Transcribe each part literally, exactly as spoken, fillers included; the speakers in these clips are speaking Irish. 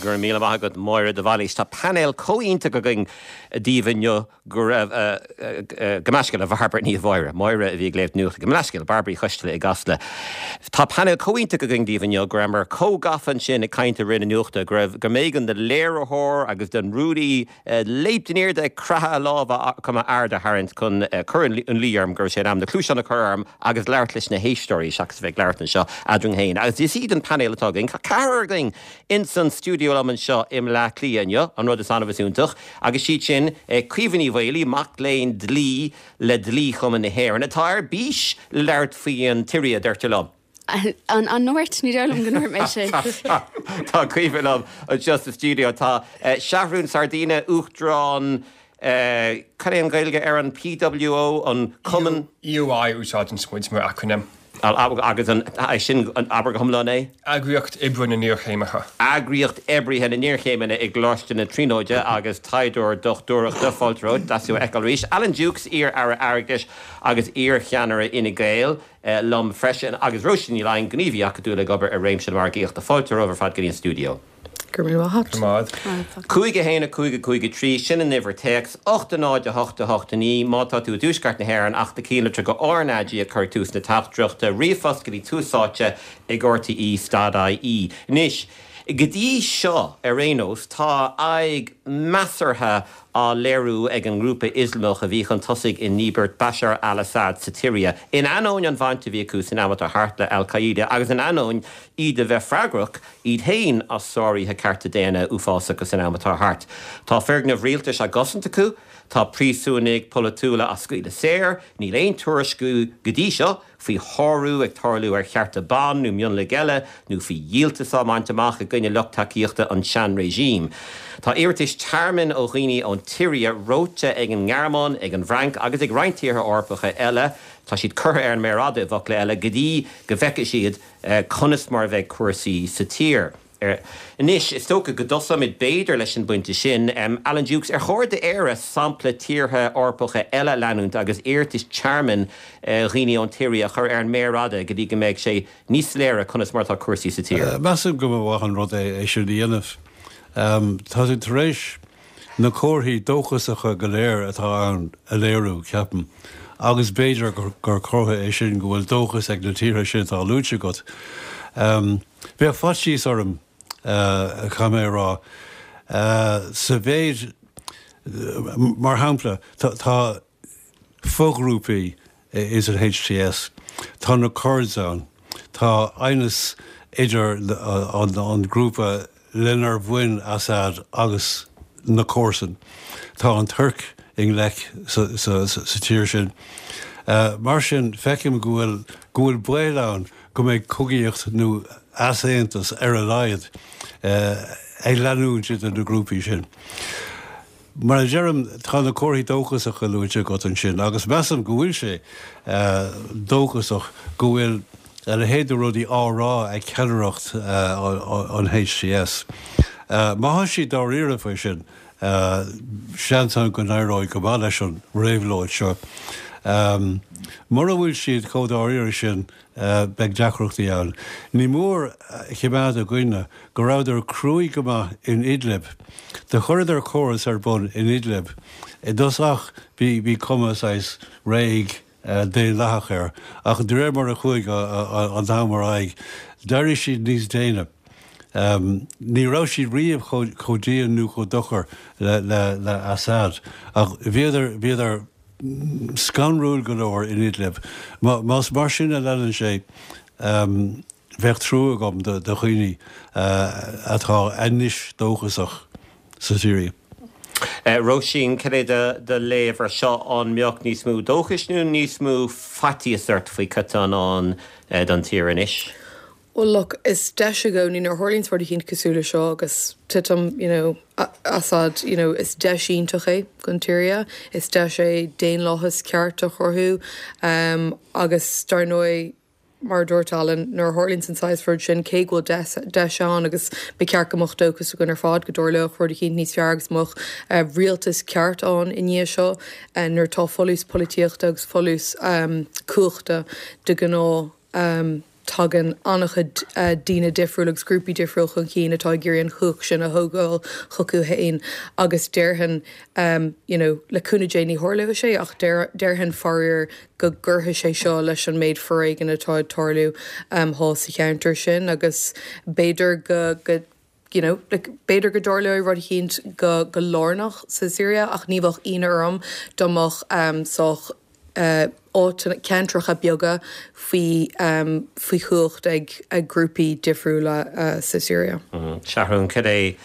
Go raibh míle maith agat Máire de Bhailís Tá painéal iontach againn daoibh inniu go raibh gabh mo leithscéal a Bhairbre ní Mháire, Máire a bhí ag léamh nuachta gabh mo leithscéal Bairbre Uí Choisteala i gCasla. Tá painéal iontach againn daoibh inniu go rabhamar chomh gafa ansin ag caint i rith na nuachta go raibh go mb'éigean don léiritheoir agus don rúnaí léimt in airde ag croitheadh a lámha chun m'aird a tharraingt chun cur ina luí orm go raibh sé in am na cluasáin a chur orm agus labhairt leis na héisteoirí seachas bheith labhairt anseo eadrainn féin. Agus is iad an painéal atá againn ceathrar againn in san stiúideo liom anseo i mBleá Cliath inniu an rud is annamh is iontach, agus siad sin Caoimhe Ní Mhaolaí mac léinn dlí le Dlí-Chumann na hÉireann atá ar bís labhairt faoin tSiria deirtear liom. An an ndúirt ní dóigh liom go ndúirt mé sin. Tá Caoimhe liom anseo sa stiúideo tá Seathrún Sardina Uachtarán Cad é an Ghaeilge ar an PWO an Cumann EOI úsáideann muid mar acrainm. agus an sin an abair go hiomlán é? Eagraíocht Oibrithe na nIarchéimithe. Eagraíocht Oibrithe na nIarchéimithe i gColáiste na Tríonóide agus taighdeoir dochtúireachta fáilte romhat deas thú a fheiceáil arís. Alan Dukes iar-aire airgeadais agus iar-cheannaire Fhine Gael liom freisin agus Róisín Ní Laighin gníomhaí acadúil ag obair ar réimse na margaíochta fáilte romhaibh ar fad go dtí an stiúideo. Gur mí Mád. Cúig a haon a cúig a cúig a trí sin an uimhir téacs, ocht a náid a hocht a hocht a naoi má tá tú i dtuaisceart na hÉireann ach do chinnlitir go RnaG a chur tús na teachtaireachta ríomhphost go dtí Tús Áite ag RTÉ dot IE. Anois, go dtí seo ar aon nós tá aghaidh measartha á léiriú ag an ngrúpa Ioslamach a bhí chun tosaigh i ndíbirt Bashar al-Assad sa tSiria. In ainneoin an bhaint a bhí acu san am atá thart le Al-Qaeda agus in ainneoin iad a bheith freagrach iad féin as sáruithe cearta daonna uafásacha san am atá thart. Tá foirgnimh rialtais á gcosaint acu, tá príosúnaigh pholaitiúla á scaoileadh saor, níl aon tuairisciú go dtí seo faoi shárú ag tarlú ar chearta ban nó mionlaigh eile nó faoi dhíoltas á mbaint amach i gcoinne lucht tacaíochta an sean-regime. Tá iarratais tearmainn ó dhaoine ón tSiria reoite ag an nGearmáin, ag an bhFrainc agus ag roinnt tíortha Eorpacha eile, tá siad curtha ar an méar fhada i bhfocla eile go dtí go bhfeicfidh siad conas mar a bheidh cúrsaí sa tír. Anois is dócha go dtosóimid b'fhéidir leis an bpointe sin. Alan Dukes ar chóir d'Éire sampla tíortha Eorpacha eile leanúint agus iarratais tearmainn dhaoine ón tSiria a chur ar an méar fhada go dtí go mbeidh sé níos soiléire conas mar atá cúrsaí sa tír. Measaim go mba mhaith an rud é é sin a dhéanamh. Tá tú tar éis na comharthaí dóchasacha go léir atá ann a léiriú ceapaim. agus b'fhéidir gur comhartha é sin go bhfuil dóchas ag na tíortha sin atá luaite agat. Bheadh faitíos orm caithfidh mé a rá sa mhéid mar shampla tá foghrúpaí is an HTS, Tá na Kurds ann, Tá aighneas idir an grúpa lenar bhain Assad agus na comharsana. Tá an Tuirc i ngleic sa tír sin. Mar sin feicim go bhfuil go bhfuil baol ann go mbeidh cogaíocht nó easaontas ar a laghad ag leanúint idir na grúpaí sin. Mar a deirim tá na comharthaí dóchasacha luaite agat ansin, agus measaim go bhfuil sé dóchasach go bhfuil a leithéid de rudaí á rá ag ceannaireacht an HTS. Má tá siad dáiríre faoi sin, seans ann go n-éireoidh go maith leis an réabhlóid seo. Mura bhfuil siad chomh dáiríre sin, beidh deacrachtaí ann. Ní mór a choimeád i gcuimhne go rabhadar cruaidh go maith in Idlib. Do chuireadar córas ar bun in Idlib. I dtosach bhí bhí cuma saghas réidh daonlathach air, ach de réir mar a chuaigh an t-am ar aghaidh, d'éirigh siad níos déine. Ní raibh siad riamh chomh dian nó chomh dochar le le le Assad, ach bhíodar bhíodar scanrúil go leor in Idlib. Más mar sin a leanann sé, bheadh trua agam do dhaoine atá anois dóchasach sa tSiria. Róisín, cad é do léamh ar seo an mbeadh níos mó dóchais nó níos mó faitíos ort faoi cad atá i ndán don tír anois? Well look, is deis i gcónaí nuair a tharlaíonn rud eicínt cosúil le seo agus titim you know, Assad you know, is deis iontach é don tSiria, is deis é daonlathas ceart a chruthú um, agus dar ndóigh mar a dúirt Alan nuair a tharlaíonn an saghas rud sin cé go bhfuil deis ann agus ba cheart go mbeadh dóchas againn ar fad go dtarlódh rud eicínt níos fearr agus mbeadh uh, rialtas ceart ann i ndiaidh seo uh, nuair tá folús polaitíochta agus folús um, cumhachta de ghnáth um, tagann an-chuid daoine difriúil agus grúpaí difriúil chun cinn atá ag iarraidh an chumhacht sin a thógáil chucu féin agus déarfainn you know le cúnamh Dé ní tharlóidh sé ach déarfainn faraor go gcuirfidh sé seo leis an méid foréigin atá ag tarlú thall sa cheantar sin agus b'fhéidir go go you know like b'fhéidir go dtarlóidh rud eicínt go go lárnach sa Siria ach ní bheadh ionadh orm dá mbeadh um, sách uh, áiteanna ceantracha beaga faoi um, faoi chumhacht ag ag grúpaí difriúla uh, sa Siria. Mm, Seathrún, cad é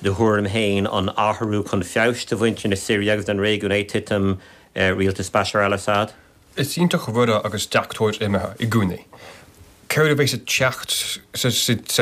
do thuairim féin an athrú chun feabhais do mhuintir na Siria agus don réigiún é titim uh, rialtas Bashar al-Assad? Is iontach an rud é agus deachtóir imithe i gcónaí. Céard a bheas ag teacht sa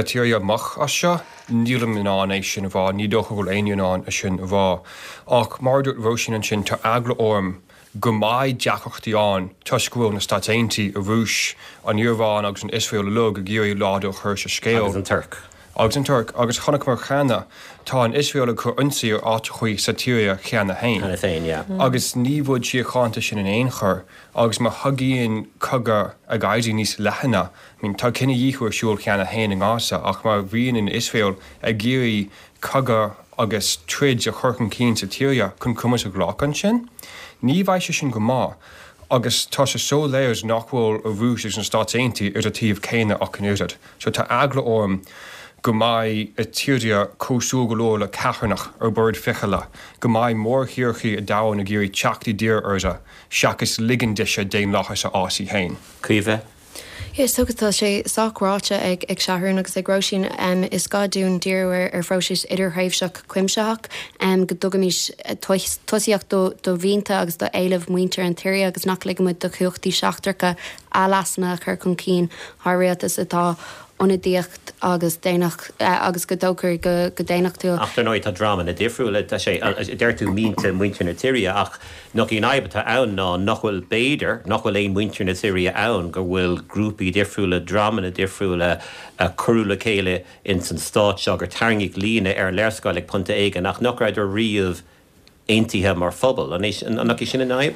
tSiria amach as seo, nílim in ann é sin a rá, ní dócha go bhfuil éinne in ann é sin a rá. Ach mar a dúirt Róisín ansin tá eagla orm go mbeidh deacrachtaí ann toisc go bhfuil na Stáit Aontaithe, an Rúis, an Iaráin agus an Iosrael uilig ag iarraidh laghdú a chur sa scéal. Agus an Tuirc. Agus an Tuirc, agus chonaiceamar cheana, tá an Iosrael ag cur ionsaí ar áiteachaí sa tSiria cheana féin. Cheana féin, yeah. Agus ní rud síochánta sin in aon chor, agus má thagann cogadh ag éirí níos leithne, I mean, tá cinedhíothú ar siúl cheana féin i nGaza, ach má bhíonn an Iosrael ag iarraidh cogadh agus troid a chur chun cinn sa tSiria chun cumas a ghlacadh ansin, ní bheidh sé sin go maith. Agus tá sé soiléir nach bhfuil an Rúis agus na Stáit Aontaithe ar an taobh céanna ach an oiread. So tá eagla orm go mbeidh an tSiria cosúil go leor le ceithearnach ar bord fichille, go mbeidh mórthíortha an domhain ag iarraidh teacht i dtír uirthi, seachas ligean dise daonlathas a fhás í féin. Caoimhe? Is dócha tá sé sách ráite ag ag Seathrún agus ag Róisín. Is gá dúinn díriú ar ar phróiseas idirthréimhseach cuimsitheach, go dtugaimis tosaíocht do do mhianta agus do éilimh muintir an tSiria agus nach ligimid do chumhachtaí seachtracha a leasanna a chur chun cinn thar rialtas atá ionadaíoch agus daonach agus go dtógtar go go daonnachtúil. Ach dar ndóigh tá dreamanna difriúla, tá sé, deir tú mianta muintir na Siria ach nach í an fhadhb atá ann ná nach bhfuil, b'fhéidir, nach bhfuil aon muintir na Siria ann, go bhfuil grúpaí difriúla, dreamanna difriúla a cuireadh le chéile ins an stát seo, gur tarraingíodh líne ar an léarscáil ag pointe éigin ach nach rabhadar riamh aontaithe mar phobal. An é, nach í sin an fhadhb?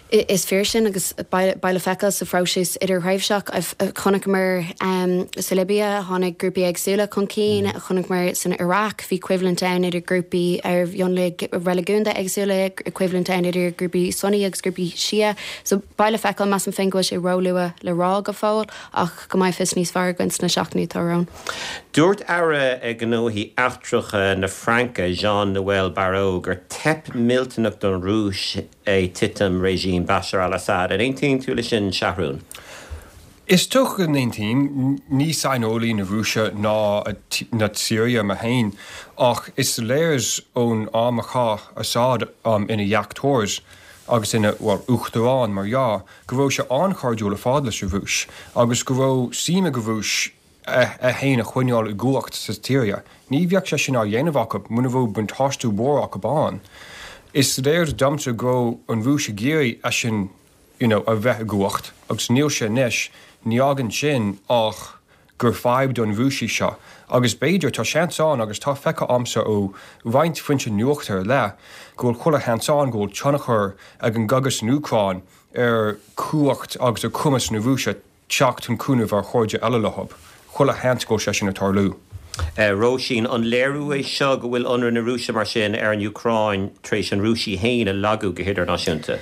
Is fíor sin agus beidh le feiceáil sa phróiseas idirthréimhseach. Chonaiceamar sa Libia, tháinig grúpaí éagsúla chun cinn, chonaiceamar san Iraq, bhí coimhlint ann idir grúpaí ar mhionlaigh reiligiúnda éagsúla, coimhlint ann idir grúpaí Sunni agus grúpaí Shia. So beidh le feiceáil, measaim féin go bhfuil sé róluath le rá go fóill ach go mbeidh fios níos fearr againn sna seachtainí atá romhainn. Dúirt Aire Gnóthaí Eachtracha na Fraince, Jean-Noël Barrot, gur teip millteanach don Rúis é titim regime Bashar al-Assad. An aontaíonn tú leis sin, Seathrún? Is dócha go n-aontaím, ní saineolaí na Rúise ná na Siria mé féin, ach is léir ón am a chaith Assad ina dheachtóir agus ina, bhuel, uachtarán mar dhea, go raibh sé an-chairdiúil ar fad leis an Rúis agus go raibh suim ag an Rúis é féin a choinneáil i gcumhacht sa tSiria. Ní bheadh sé sin á dhéanamh acu muna raibh buntáiste mhór acu ann. Is léir domsa go raibh an Rúis ag iarraidh eisean you know, a bheith i gcumhacht agus níl sé anois, ní fhágann sin ach gur fadhb don Rúis í seo. Agus b'fhéidir, tá seans ann agus tá feicthe a'msa ó roinnt foinse nuachta ar leith go bhfuil chuile sheans ann go bhfuil tionchar ag an gcogadh san Úcráin ar chumhacht agus ar chumas na Rúise teacht chun cúnaimh ar chairde eile leo. Chuile sheans go bhfuil sé sin ag tarlú. Róisín, an léiriú é seo go bhfuil ionradh na Rúise mar sin ar an Úcráin tar éis an Rúis í féin a lagú go hidirnáisiúnta?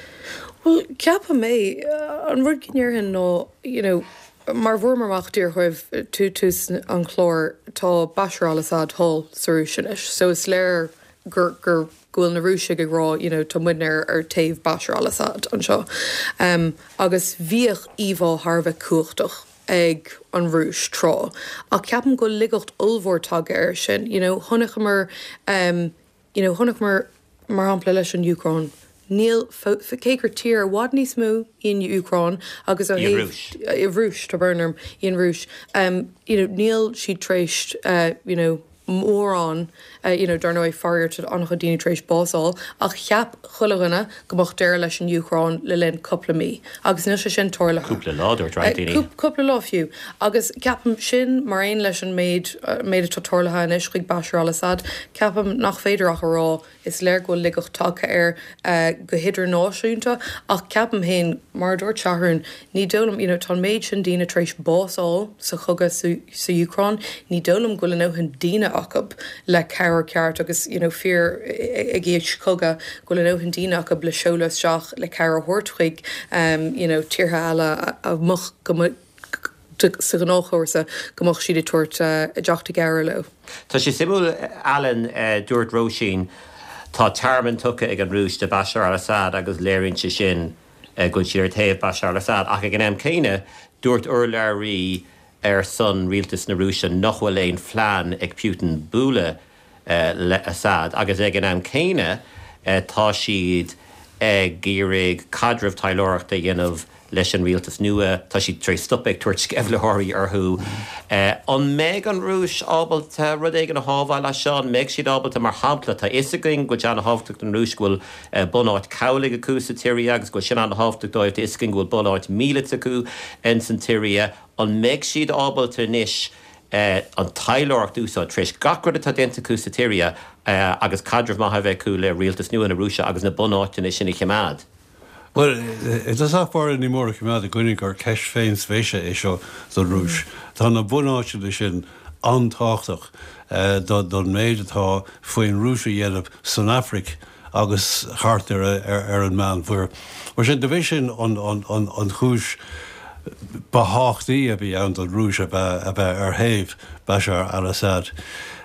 Bhuel, ceapaim é. An rud go ndéarfainn ná, you know, mar a bhfuaireamar amach díreach roimh tús an chláir, tá Bashar al-Assad thall sa Rúis anois. So is léir gur, gur, go bhfuil na Rúisigh ag rá, you know, tá muidne ar, ar taobh Bashar al-Assad anseo. Um, agus bhíodh íomhá thar a bheith cumhachtach ag an Rúis tráth. Ach ceapaim go bhfuil laigeacht ollmhór tagtha air sin. You know, chonaiceamar, um, you know, chonaiceamar mar shampla leis an Úcráin. Níl, cé gur tír i bhfad níos mó í an Úcráin agus ó thaobh, Rúis, tá brón orm, í an Rúis, um, you know, níl siad tar éis, uh, you know, mórán you know, dar ndóigh faraor tá an-chuid daoine tar éis bás a fháil, ach cheap chuile dhuine go mbeadh deireadh leis an Úcráin le linn cúpla mí agus níl sé sin tarlaithe. Cúpla lá dúirt roinnt daoine. Cúpla lá fiú. Agus ceapaim sin mar aon leis an méid méid atá tarlaithe anois chuig Bashar al-Assad, ceapaim nach féidir ach a rá is léir go bhfuil laigeacht tagtha air go hidirnáisiúnta ach ceapaim féin, mar a dúirt Seathrún, ní dóigh liom, you know, tá an méid sin daoine tar éis bás a fháil sa chogadh sa Úcráin, ní dóigh liom go bhfuil a ndóthain daoine acu le cabhair ceart agus, you know, fir ag aois chogaidh, go bhfuil a ndóthain daoine acu le seoladh isteach le cabhair a thabhairt chuig, you know, tíortha eile a mbeadh go sa ghnáthchúrsa go mbeadh siad ag tabhairt a dteacht i gcabhair leo. Tá sé suimiúil Alan, dúirt Róisín, tá tearmann tugtha ag an Rúis do Bashar al-Assad agus léiríonn sé sin go bhfuil siad ar thaobh Bashar al-Assad ach ag an am céanna dúirt urlabhraí ar son rialtas na Rúise nach bhfuil aon phlean ag Putin bualadh le Assad agus ag an am céanna tá siad ag iarraidh caidreamh taidhleoireachta a dhéanamh leis an rialtas nua, tá siad tar éis stop ag tabhairt sceimhlitheoirí orthu. An mbeidh an Rúis ábalta rud éigin a shábháil as seo? An mbeidh siad ábalta, mar shampla, tá fhios againn go bhfuil sé an-thábhachtach don Rúis go bhfuil bunáit cabhlaigh acu sa tSiria agus go bhfuil sin an-thábhachtach dóibh, tá fhios againn go bhfuil bunáit míleata acu ins an tSiria. An mbeidh siad ábalta anois an taidhleoireacht a úsáid, tar éis gach rud atá déanta acu sa tSiria agus caidreamh maith a bheith acu le rialtas nua na Rúise agus na bunáiteanna sin a choimeád? Bhuel, i dtosach báire ní mór a choimeád i gcuimhne gur ceist féinspéise é seo don Rúis. Tá na bunáiteanna sin an-tábhachtach don méid atá faoin Rúis a dhéanamh san Afraic agus thart ar ar an Meánmhuir. Mar sin, de bhí sin an chúis ba thábhachtaí a bhí ann don Rúis a bheith a bheith ar thaobh Bashar al-Assad.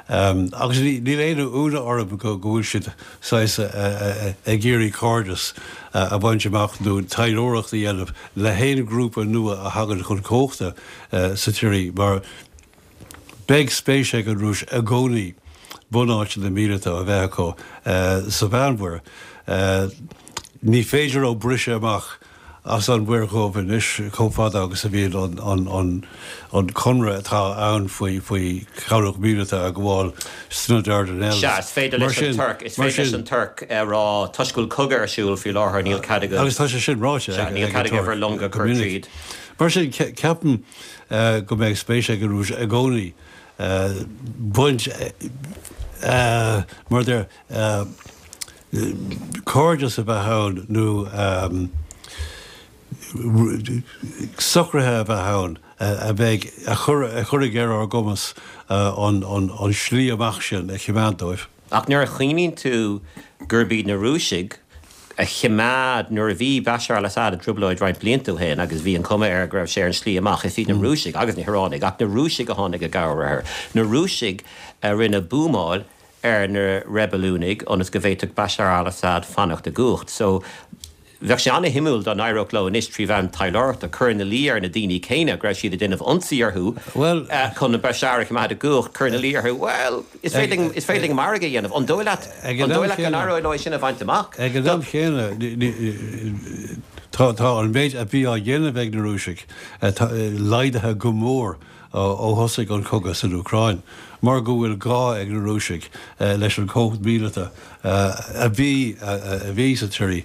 Agus níl aon ionadh orm go bhfuil siad saghas ag iarraidh cairdeas a bhaint amach nó taidhleoireacht a dhéanamh le haon ghrúpa nua a thagann chun cumhachta sa tSiria mar beidh spéis ag an Rúis i gcónaí bunáiteanna míleata a bheith acu sa Mheánmhuir. Ní féidir leo briseadh amach as an Mhuir Dhubh anois chomh fada agus a bhíonn an conradh atá ann faoi faoi chabhlach míleata a ghabháil sna Dardanelles. Sea, is féidir leis an Tuirc, is féidir leis an Tuirc a rá toisc go bhfuil cogadh ar siúl faoi láthair níl cead agaibh. Agus tá sé sin ráite ag níl cead agaibh bhur longa a chur tríd. Mar sin, ceapaim go mbeidh spéis ag an Rúis i gcónaí baint mar a deir cairdeas a bheith ann nó socruithe a bheith ann a bheidh, a chuirfidh ar ár gcumas an slí amach sin a choimeád dóibh. Ach nuair a chuimhníonn tú gurb iad na Rúisigh a choimeád, nuair a bhí Bashar al-Assad i dtrioblóid roinnt blianta ó shin agus bhí an chuma air go raibh sé ar an slí amach, is iad na Rúisigh agus na hIoránaigh, ach na Rúisigh a tháinig i gcabhair air, na Rúisigh a rinne buamáil ar na reibiliúnaigh ionas go bhféadfadh Bashar al-Assad fanacht i gcumhacht. So, bheadh sé an-shuimiúil dá n-éireodh leo anois trí mheán taidhleoireachta cur ina luí ar na daoine céanna go raibh siad ag déanamh ionsaí orthu chun Bashar a choimeád i gcumhacht, cur ina luí orthu, bhuel, is féidir linn, is féidir linn margadh a dhéanamh. An dóigh leat, an dóigh leat go n-éireoidh leo é sin a bhaint amach? Ag an am chéanna, tá, tá an méid a bhí á dhéanamh ag na Rúisigh laghdaithe go mór ó thosaigh an cogadh san Úcráin, mar go bhfuil gá ag na Rúisigh leis an chumhacht mhíleata a bhí a bhí sa tSiria.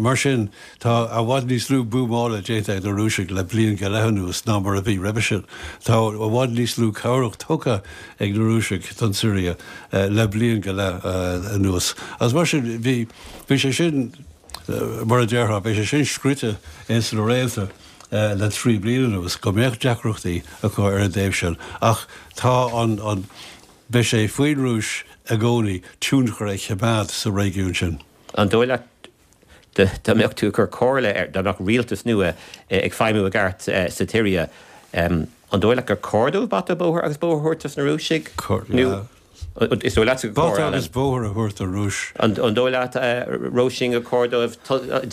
Mar sin, tá i bhfad níos lú buamála déanta ag na Rúisigh le bliain go leith anuas ná mar a bhí roimhe sin. Tá i bhfad níos lú cabhrach tugtha ag na Rúisigh don tSiria le bliain go leith anuas. Agus mar sin, bhí bhí sé sin, mar a déarfá, bhí sé sin scríte ins na réalta. le trí bliana anuas, go mbeadh deacrachtaí acu ar an dtaobh sin, ach tá an, an, beidh sé faoin Rúis i gcónaí tionchar a choimeád sa réigiún sin. An dóigh leat, dá mbeadh tú ag cur comhairle ar, dá mbeadh rialtas nua ag feidhmiú i gceart sa tSiria, an dóigh leat gur chóir dóibh bata bóthair agus bóthar a thabhairt dos na Rúisigh? Nó. Is dóigh leatsa gur chóir, Bata agus bóthar a thabhairt don Rúis. An dóigh leat, Róisín, gur chóir dóibh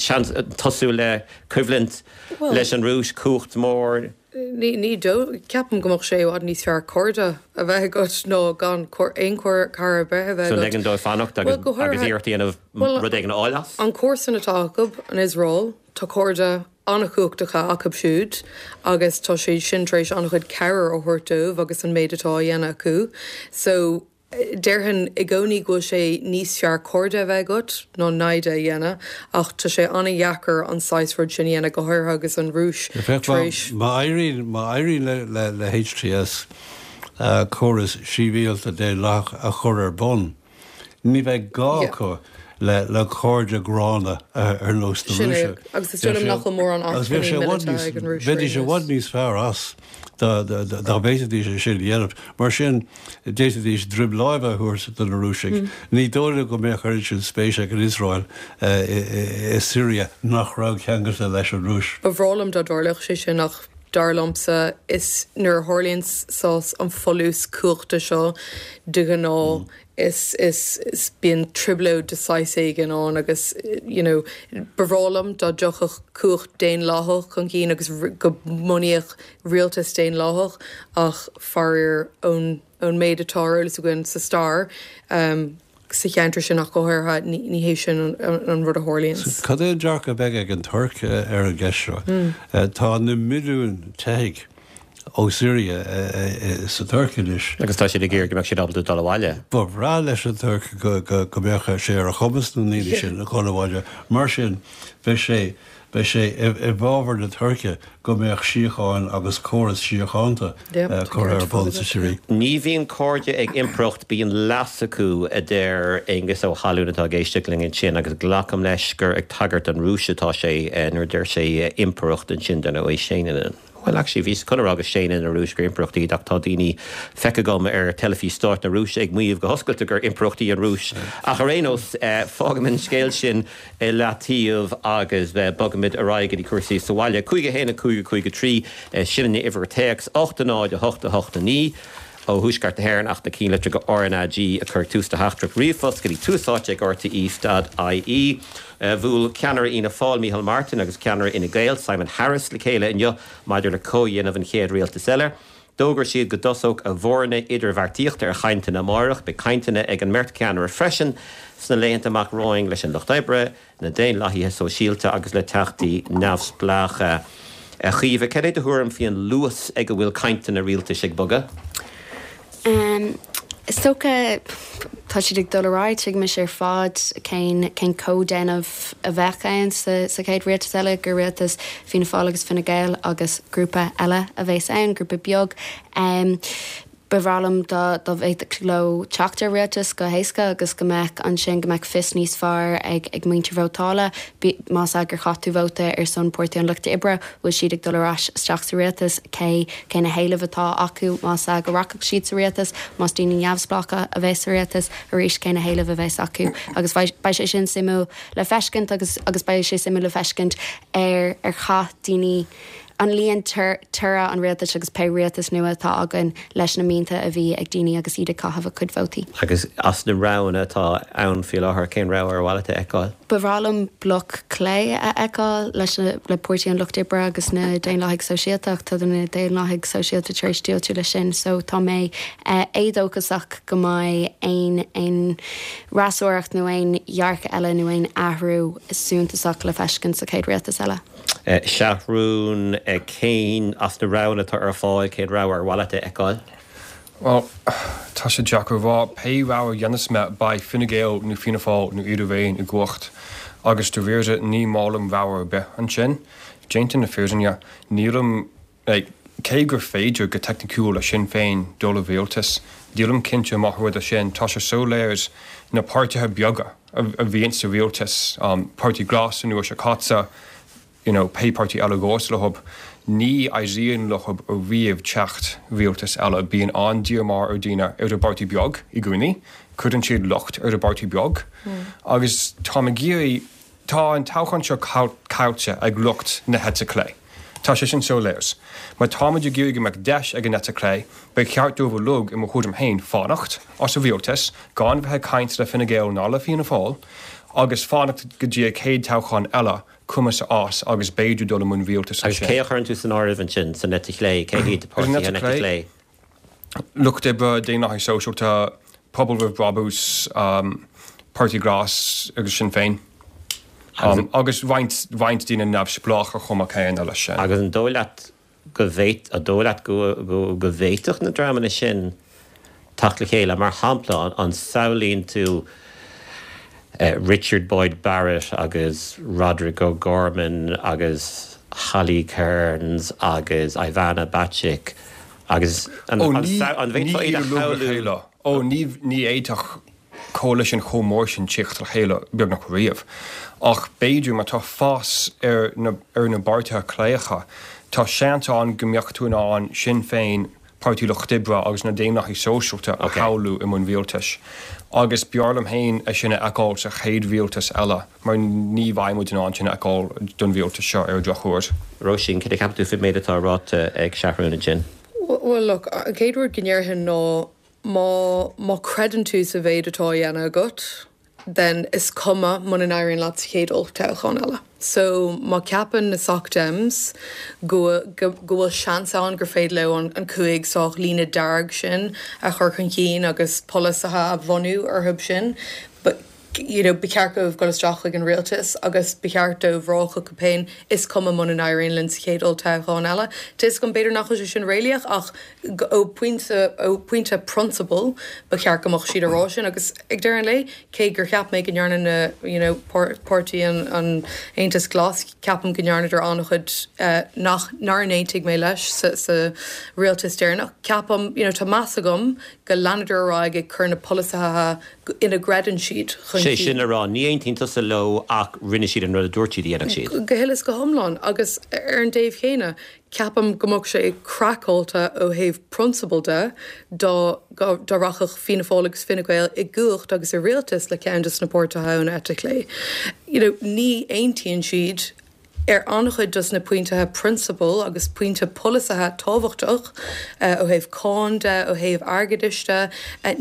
seans tosú le coimhlint leis an Rúis, cumhacht mhór? Ní dóigh. Ceapaim go mbeadh sé i bhfad níos fearr cairde a bheith agat ná gan aon cara ar bith a bheith agat. So ligean dóibh fanacht agus iarracht a dhéanamh rud éigin a fháil as? An comharsan atá acu, an Iosrael, tá cairde an-chumhachtacha acu siúd agus tá siad sin tar éis an-chuid cabhair a thabhairt dóibh agus an méid atá á dhéanamh acu. So, Déarfainn i gcónaí go bhfuil sé níos fearr cairde a bheith agat ná naimhde a dhéanamh, ach tá sé an-dheacair an saghas rud sin a dhéanamh, go háirithe agus an Rúis tar éis. Má éiríonn má éiríonn le le H T S córas sibhialta daonlathach a chur ar bun, ní bheidh gá acu le le cairde gránna ar nós na Rúise. Agus is dóigh liom nach bhfuil mórán acmhainní míleata ag an Rúis. Bheidís i bhfad níos fearr as dá bhféadfaidís é sin a dhéanamh. Mar sin, d'fhéadfaidís droim láimhe a thabhairt do na Rúisigh. Ní dóigh liom go mbeadh oiread sin spéis ag an Iosrael i Siria nach raibh ceangailte leis an Rúis. Ba bhreá liom dá dtarlódh sé sin ach dar liomsa is nuair a tharlaíonn saghas an folús cumhachta seo de ghnáth is is is bíonn trioblóid de saghas éigin ann agus you know ba bhreá liom dá dtiocfadh cumhacht daonlathach chun cinn agus go mbunaíodh rialtas daonlathach ach faraor ón ón méid atá ar eolas againn sa stair um, sa cheantar sin ach go háirithe ní ní hé sin an, an rud a tharlaíonn. Cad é an dearcadh a bheidh ag an Tuirc ar an gceist seo? Tá na milliúin teifigh ó Siria sa Tuirc anois. Agus tá siad ag iarraidh go mbeadh siad ábalta dul abhaile. Ba bhreá leis an Tuirc go go go mbeadh sé ar a chumas na ndaoine sin a dhul abhaile. Mar sin beidh sé beidh sé i bhfabhar na Tuirce go mbeadh síocháin agus córas síochánta curtha ar bun sa Siria. Ní bhíonn cairde ag impireacht, bíonn leas acu, a deir Aengus Ó hAlúin atá ag éisteacht linn ansin agus glacaim leis gur ag tagairt don Rúis atá sé nuair a deir sé impireacht ansin den ó séanann. Well actually bhíos chun a rá go séanann an Rúis gur impireacht í ach tá daoine feicthe agam ar teilifís stáit na Rúise ag maíomh go hoscailte gur impireacht í an Rúis. Ach ar aon nós fágaim an scéal sin i leataobh agus bogaimid ar aghaidh go dtí cúrsaí sa bhaile. Cúig a haon a cúig a cúig a trí sin an uimhir téacs ocht a náid a hocht a hocht a naoi ó Thuaisceart na hÉireann ach na cinnlitreacha go R N A G a chur tús do theachtaireacht ríomhphost go dtí Tús Áite ag R T E dot I E. Bhuail ceannaire Fhianna Fáil Micheál Martin agus ceannaire Fhine Gael Simon Harris le chéile inniu maidir le comhdhéanamh an chéad rialtas eile. D'fhógair siad go dtosódh a bhfoirne idirbheartaíochta ar chainteanna amárach, beidh cainteanna ag an mbeirt cheannaire freisin sna laethanta amach romhainn leis an Lucht Oibre, na Daonlathaithe Sóisialta agus le teachtaí neamhspleácha. A Chaoimhe, cad é do thuairim faoin luas ag a bhfuil cainteanna rialtais ag bogadh? Um, is dócha tá siad ag dul ar aghaidh, tuigimid ar fad cén cén comhdhéanamh a bheadh ann sa, sa chéad rialtas eile gur rialtas Fianna Fáil agus Fine Gael agus grúpa eile a bheas ann, grúpa beag. Um, Ba bhreá liom dá dá bhféadfadh leo teacht ar rialtas go héasca agus go mbeadh ansin go mbeadh fios níos fearr ag ag muintir vótála más ea gur chaith tú vóta ar son Páirtí an Lucht Oibre bhfuil siad ag dul ar ais isteach sa rialtas cé cé na héilimh atá acu más ea go rachadh siad sa rialtas más daoine neamhspleácha a bheas sa rialtas arís cé na héilimh a bheas acu agus beidh sé sin suimiúil le feiscint agus agus beidh sé suimiúil le feiscint ar ar chaith daoine an líon toradh an rialtais agus pé rialtas nua atá againn leis na mianta a bhí ag daoine agus iad ag caitheamh a cuid vótaí. Agus as na roghanna atá ann faoi láthair cén rogha ar mhaith leat a fheiceáil? Ba bhreá liom bloc clé a fheiceáil leis na le Páirtí an Lucht Oibre agus na Daonlathaigh Sóisialta tá na Daonlathaigh Sóisialta tar éis diúltú leis sin, so tá mé eh, éadóchasach go mbeidh aon aon fhreasúracht nó aon dhearcadh eile nó aon athrú suntasach le feiscint sa chéad rialtas eile. Eh, Seathrún eh, cén as na roghanna atá ar fáil cén rogha ar mhaith leat a fheiceáil? Well, tá sé deacair a rá pé rogha a dhéanfas mé beidh Fine Gael nó Fianna Fáil nó iad araon i gcumhacht agus de réir ní maith liom rogha ar bith ansin. Déanta na fírinne nílim like, cé gur féidir go teicniúil le Sinn Féin dul i rialtas, Nílim cinnte má rud é sin tá sé soiléir na páirtithe beaga a, a bhíonn sa rialtas um, Páirtí Glas an uair seo caite, you know, pé páirtí eile gós leo, ní éiríonn leo riamh teacht rialtas eile bíonn an-díomá ar daoine ar an bpáirtí beag i gcónaí, cuireann siad locht ar an bpáirtí beag. Mm. Agus tá géirí tá an toghchán seo caillte ag lucht na heite clé. Tá sé sin soiléir. Má táimid ag iarraidh go mbeadh deis ag an eite clé, ba cheart dóibh uilig i mo thuairim féin fanacht as an rialtas gan bheith ag caint le Fine Gael ná le Fianna Fáil, agus fanacht go dtí an chéad toghchán eile cumas as agus b'fhéidir dul i mbun rialtas. Agus cé a chuireann tú san áireamh ansin san eite chlé cé hiad páirtithe an eite chlé? Lucht Oibre, Daonlathaigh Sóisialta, Pobal Roimh Brabús, um, Páirtí Glas agus Sinn Féin. Um, agus roinnt roinnt daoine neamhspleácha chomh maith céanna leis sin. Agus an dóigh leat go bhféad an dóigh leat go go go bhféadfadh na dreamanna sin teacht le chéile? Mar shampla, an samhlaíonn tú Richard Boyd Barrett agus Roderic O'Gorman agus Holly Cairns agus Ivana Bacik agus an bhféadfá iad a shamhlú? Ó, ní fhéadfadh coalition chomh mór sin teacht le chéile beagnach riamh. Ach b'fhéidir má tá fás ar na ar na bpáirtithe cléireacha, tá seans ann go mbeadh tú in ann Sinn Féin, Páirtí Lucht Oibre agus na Daonlathaigh Sóisialta a shamhlú i mbun rialtais. Agus b'fhearr liom féin é sin a fheiceáil sa chéad rialtas eile, mar ní bheidh muid in ann sin a fheiceáil don rialtas seo ar an drochuair. Róisín, cad a cheapann tú faoin méid atá ráite ag Seathrún ansin? Bhuel, look, an chéad rud go ndéarfainn ná má má chreideann tú sa mhéid atá á dhéanamh agat, then is cuma muna n-éiríonn leat sa chéad olltoghchán eile. So má ceapann na Soc Dems go go go bhfuil seans ann gur féidir leo an an cúig sách líne dearg sin a chur chun cinn agus polasaithe a bhunú orthu sin, but you know, ba cheart dóibh dul isteach chuig an rialtas agus ba cheart dóibh rá chucu féin is cuma muna n-éiríonn linn sa chéad olltoghchán eile. Tá 'fhios agam b'fhéidir nach bhfuil sé sin réalaíoch ach ó phointe ó phointe prionsabail ba cheart go mbeadh siad a rá sin agus ag deireadh an lae cé gur cheap mé go ndearna na you know, páirtí an, an Aontas Glas ceapaim go ndearnadar an-chuid uh, nach nár aontaigh mé leis sa, sa rialtas deireanach. Ceapaim you know, tá meas agam go leanadar ar aghaidh ag cur na polasaithe ina gcreideann siad chun Sé sin a rá ní aontaíonn tusa leo ach rinne siad an rud a dúirt siad a dhéanfadh siad. Go huile is go hiomlán agus ar an dtaobh chéanna ceapaim go mbeadh sé craiceáilte ó thaobh prionsabal de dá dá rachadh Fianna Fáil agus Fine Gael i gcumhacht agus i rialtas le ceann de na páirtithe ón eite chlé. You know, ní aontaíonn siad ar an-chuid dos na pointithe prionsabail agus pointe polasaithe tábhachtach ó thaobh cáin de, ó thaobh airgeadais de,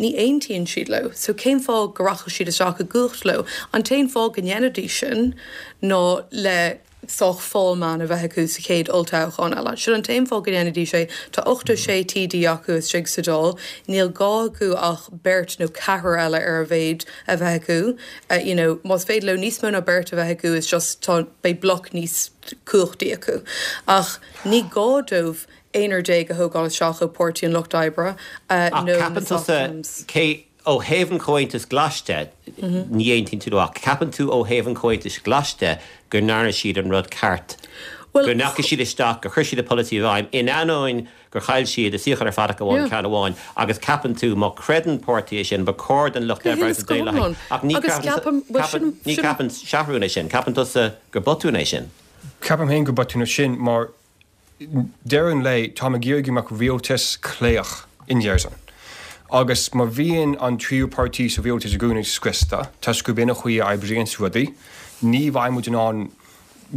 ní aontaíonn siad leo. So cén fáth go rachadh siad isteach i gcumhacht leo? An t-aon fáth go ndéanfaidís sin ná le sách fall man a bheith acu sa chéad olltoghchán eile. Sin an t-aon fáth go ndéanfaidís é tá ochtó sé TD acu istigh sa Dáil, níl gá acu ach beirt nó ceathrar eile ar a mhéad a bheith acu. Uh, you know, más féidir leo níos mó ná beirt a bheith acu is just tá beidh bloc níos cumhachtaí acu. Ach ní gá dóibh aonar déag a thógáil isteach ó Páirtí an Lucht Oibre uh, Ach nó ceapann na tusa Soc cé ó thaobh an Chomhaontais Ghlais de ní aontaíonn tú ach ceapann tú ó thaobh an Chomhaontais Ghlais de go ndearna siad an rud ceart. Well, Go ndeachaigh siad isteach gur chuir siad a polasaí i bhfeidhm in ainneoin gur chaill siad a suíochán ar fad ach amháin Yeah. ceann amháin agus ceapann tú má chreideann páirtí é sin ba chóir don Lucht Go Oibre huile agus is go Daonlathaigh. hiomlán. Ach ní Agus ceapann- ceapaim- well, ceapann- sin- ní sin- ceapann Seathrún é sin, ceapann tusa gur botún é sin. Ceapaim féin gur botún é sin mar deireadh an lae tá ag iarraidh go mbeadh rialtas cléireach in Éirinn. Agus má bhíonn an tríú páirtí sa rialtas i gcónaí scriosta, tá gurb in an chaoi a oibríonn rudaí, ní bheidh muid in ann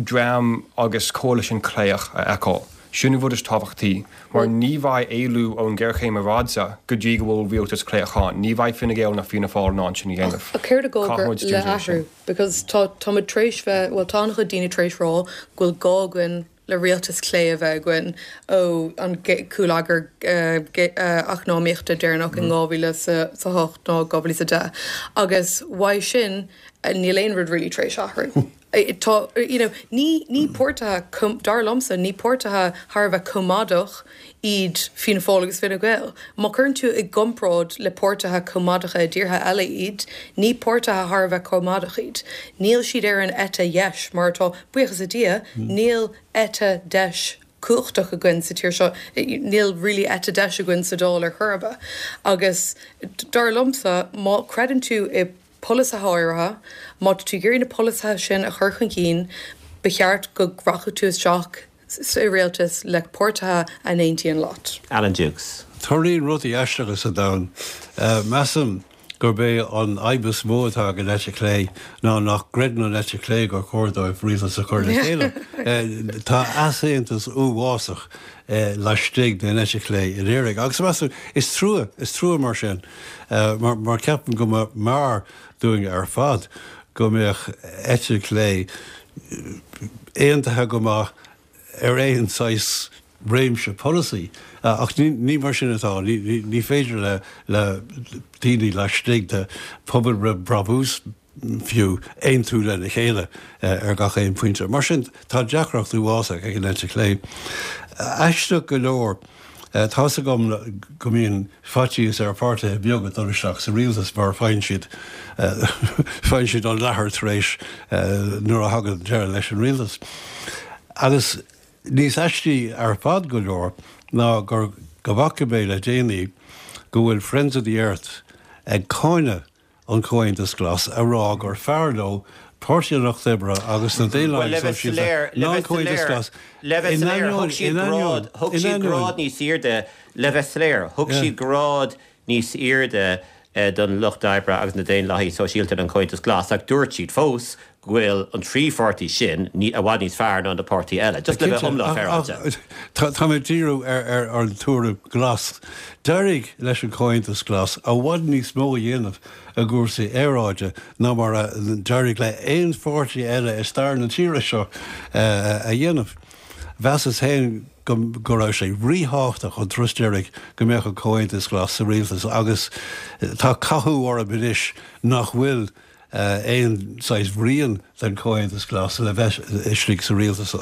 dream agus coalition cléireach a fheiceáil. Sin an rud is tábhachtaí, mar ní bheidh éalú ón géarchéim aeráide go dtí go bhfuil rialtas cléireach ann, ní bheidh Fine Gael ná Fianna Fáil in ann sin a dhéanamh. A céard Caithfidh go muid le dúdú sin. athrú, because tá tá tar éis bheith well tá an-chuid daoine tar éis rá go bhfuil gá againn le rialtas clé a bheith againn ó an cúlagar eacnamaíochta deireanach in dhá mhíle sa hocht nó dhá mhíle sa deich. Agus uaidh sin eh, níl aon rud really tar éis athrú. Eh, Tá you know, ní ní páirtithe dar liomsa ní páirtithe thar a bheith coimeádach iad Fianna Fáil agus Fine Gael. Má chuireann tú i gcomparáid le páirtithe coimeádacha i dtíortha eile iad, ní páirtithe thar a bheith coimeádach iad. Níl siad ar an eite dheis mar atá buíochas le Dia, níl eite deis cumhachtach againn sa tír seo níl really eite deis againn sa Dáil ar chor ar bith. Agus dar liomsa má chreideann tú i polasaithe áirithe, má tú ag iarraidh na polasaithe sin a chur chun cinn, ba cheart go rachadh tú isteach sa rialtas le páirtithe a n-aontaíonn leat. Alan Dukes. Tarlaíonn rudaí aisteacha sa domhan. Measaim gurb é an fhadhb is mó atá ag an eite chlé ná nach gcreideann an eite chlé gur chóir dóibh rialtas a chur le chéile. Tá easaontas uafásach laistigh den eite chlé in Éirinn. Agus measaim is trua is trua mar sin mar, mar ceapaim go mb'fhearr dúinn ar fad go mbeadh eite chlé aontaithe go maith ar aon saghas réimse polasaí. Ach ní, ní mar sin atá ní, ní, ní féidir le le daoine laistigh de Pobal Roimh Brabús fiú aontú lena chéile ar gach aon pointe. Mar sin tá deacracht uafásach ag an eite chlé. Aisteach go leor Tá's agam go mbíonn faitíos ar pháirtithe beaga dul isteach sa rialtas mar faigheann siad faigheann siad an leathar tar éis nuair a thagann deireadh leis an rialtas. Agus níos aistí ar fad go leor ná gur go bhfaca mé le déanaí go bhfuil Friends of the Earth ag cáineadh an Comhaontas Glas a rá gur fearr leo Páirtí an Lucht Oibre agus na Daonlathaigh Sóisialta ná an Comhaontas Glas. Le bheith soiléir, thug siad grád, thug siad grád níos airde, le bheith soiléir, thug siad grád níos airde don Lucht Oibre agus na Daonlathaigh Sóisialta ná an Comhaontas Glas ach dúirt siad fós go bhfuil an trí pháirtí sin i bhfad níos fearr ná na páirtí eile. Just le bheith iomlán féaráilte. Tá mé ag díriú ar an tuairim glas. D'éirigh leis an Comhaontas Glas i bhfad níos mó a dhéanamh i gcúrsaí aeráide ná mar a d'éirigh le aon pháirtí eile i stair na tíre seo a dhéanamh. Mheasas féin go raibh sé ríthábhachtach an turas deiridh go mbeadh an Comhaontas Glas sa rialtas agus tá cathú orm anois nach bhfuil aon saghas rian den Chomhaontas Glas le bheith istigh sa rialtas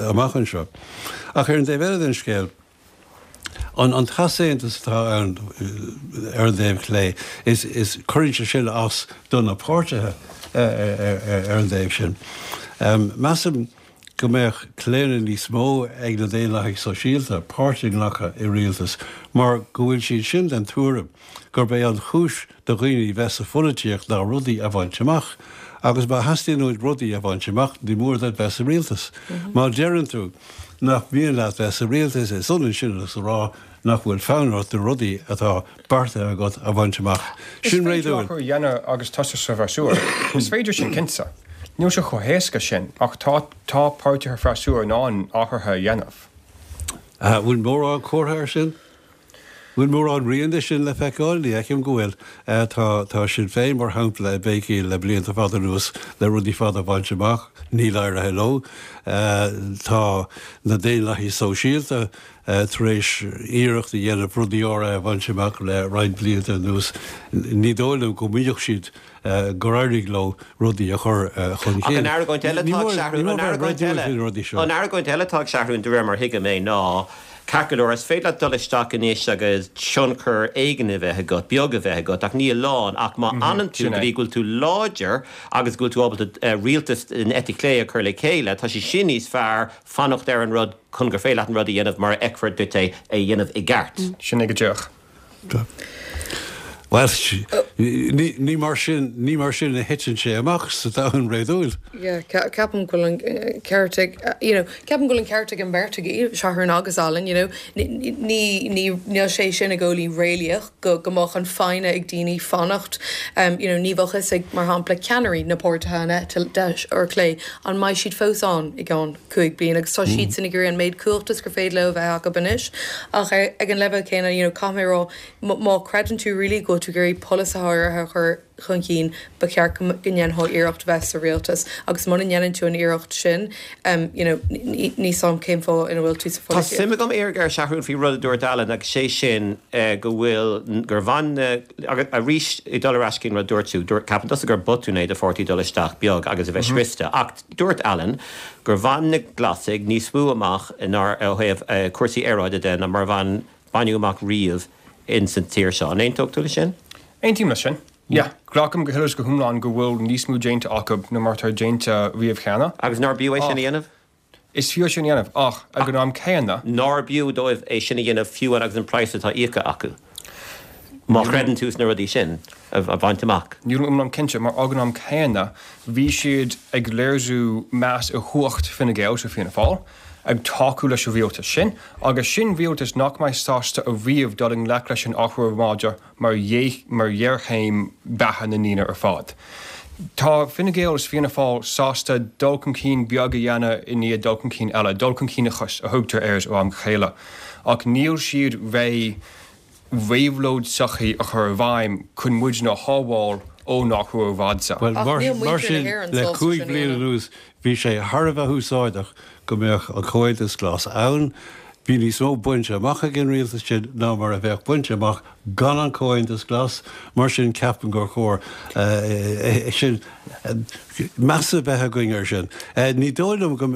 amach anseo. Ach ar an dtaobh eile den scéal, an an t-easaontas atá ann ar an dtaobh clé, is is cuireann sé sin as do na páirtithe ar an dtaobh sin. Measaim go mbeadh claonadh níos mó ag na Daonlathaigh Sóisialta páirt a ghlacadh i rialtas mar go bhfuil siad sin den tuairim gurb é an chúis do dhaoine bheith sa pholaitíocht ná rudaí a bhaint amach agus má theastaíonn uait rudaí a bhaint amach ní mór duit bheith sa rialtas. Má deireann tú nach mian leat bheith sa rialtas is ionann sin agus a rá nach bhfuil fonn ort na rudaí atá beartaithe agat a bhaint amach. Sin réadúil. Is féidir athrú a dhéanamh agus tusa sa bhfreasúra. Is féidir sin cinnte. Níl sé chomh héasca sin, ach tá tá páirtithe freasúra in ann athruithe a dhéanamh. Bhfuil mórán comhartha air sin? Bhfuil mórán rian de sin le feiceáil? Ní fheicim go bhfuil. Tá tá Sinn Féin, mar shampla, ag béicíl le blianta fada anuas le rudaí fada a bhaint amach. Níl éirithe leo. Tá na Daonlathaigh Sóisialta tar éis iarracht a dhéanamh rudaí áirithe a bhaint amach le roinnt blianta anuas. Ní dóigh liom go mbeadh siad gur éirigh leo rudaí a chur chun cinn. Ach an argóint eile atá ag Seathrún, an argóint eile, an argóint eile atá ag Seathrún, de réir mar a thuigim é, ná, ceart go leor, is féidir leat dul isteach anois agus tionchar éigin a bheith agat, beag a bheith agat, ach ní a lán, ach má fhanann tú go dtí go bhfuil tú láidir agus go bhfuil tú ábalta rialtas den eite chlé a chur le chéile, tá sé sin níos fearr fanacht ar an rud chun gur féidir leat an rud a dhéanamh mar a fheicfear duit é a dhéanamh i gceart. Sin é go díreach. Bhuel, ní mar sin, ní mar sin a thiteann sé amach sa domhan réadúil. Yeah, ceapaim go bhfuil an ceart ag, you know, ceapaim go bhfuil an ceart ag an mbeirt agaibh, Seathrún agus Alan, you know, ní, ní, níl sé sin i gcónaí réalaíoch go, go mbeadh an foighne ag daoine fanacht, um, you know, ní bheadh fhios ag, mar shampla, ceannairí na páirtithe an eite deis or clé, an mbeidh siad fós ann i gceann cúig bliana agus tá siadsan ag iarraidh an méid cumhachta is gur féidir leo a bheith acu anois. Ach ar, ag an leibhéal céanna, you know, caithfidh mé a rá, Má chreideann tú really go bhfuil tú ag iarraidh polasaithe áirithe a chur chun cinn, ba cheart go ndéanfá iarracht bheith sa rialtas agus muna ndéanann tú an iarracht sin, you know, níl 'fhios a'm cén fáth ina bhfuil tú sa Tá pholaitíocht. suim agam iarraidh ar Sheathrún faoi rud a dúirt Alan agus sé sin go bhfuil, gur bhain na, agus arís ag dul ar ais cén rud a dúirt tú, dúirt, ceapann tusa gur botún é do pháirtí dul isteach beag agus a bheith scriosta ach dúirt Alan gur bhain na Glasaigh níos mó amach ná ó thaobh cúrsaí aeráide de ná mar a bhain, baineadh amach riamh ins an tír seo. An aontódh tú leis sin? Aontaím leis sin. Yeah. Glacaim go huile is go hiomlán go bhfuil níos mó déanta acu ná mar atá déanta riamh cheana. Agus nár b'fhiú é sin a dhéanamh? Is fiú é sin a dhéanamh, ach ag an am céanna. Nár b'fhiú dóibh é sin a dhéanamh fiú agus an praghas atá íoctha acu, má chreideann tú sna rudaí sin a bhaint amach? Nílim iomlán cinnte, mar ag an am céanna bhí siad ag léiriú meas ar chumhacht Fine Gael is Fianna Fáil. ag tacú leis an rialtas sin, agus sin rialtas nach mbeidh sásta ariamh dul i ngleic leis an athrú aeráide mar mar ghéarchéim beatha na ndaoine ar fad. Tá Fine Gael is Fianna Fáil sásta dul chun cinn beag a dhéanamh i ndiaidh dul chun cinn eile, dul chun cinneachas a thugtar air ó am go chéile, ach níl siad réidh réabhlóid sochaí a chur i bhfeidhm chun muidne a shábháil ón athrú aeráide. Bhuel, Ach mar níl mar muintir na sin, hÉireann le sásta cúig sin a bliana dhéanamh. anuas, bhí sé thar a bheith úsáideach go mbeadh an Comhaontas Glas ann. Bhí níos mó bainte amach ag an rialtas sin ná mar a bheadh bainte amach gan an Comhaontas Glas, mar sin ceapaim gur chóir eh, eh, sin eh, meas a bheith againn air sin. Ní dóigh liom go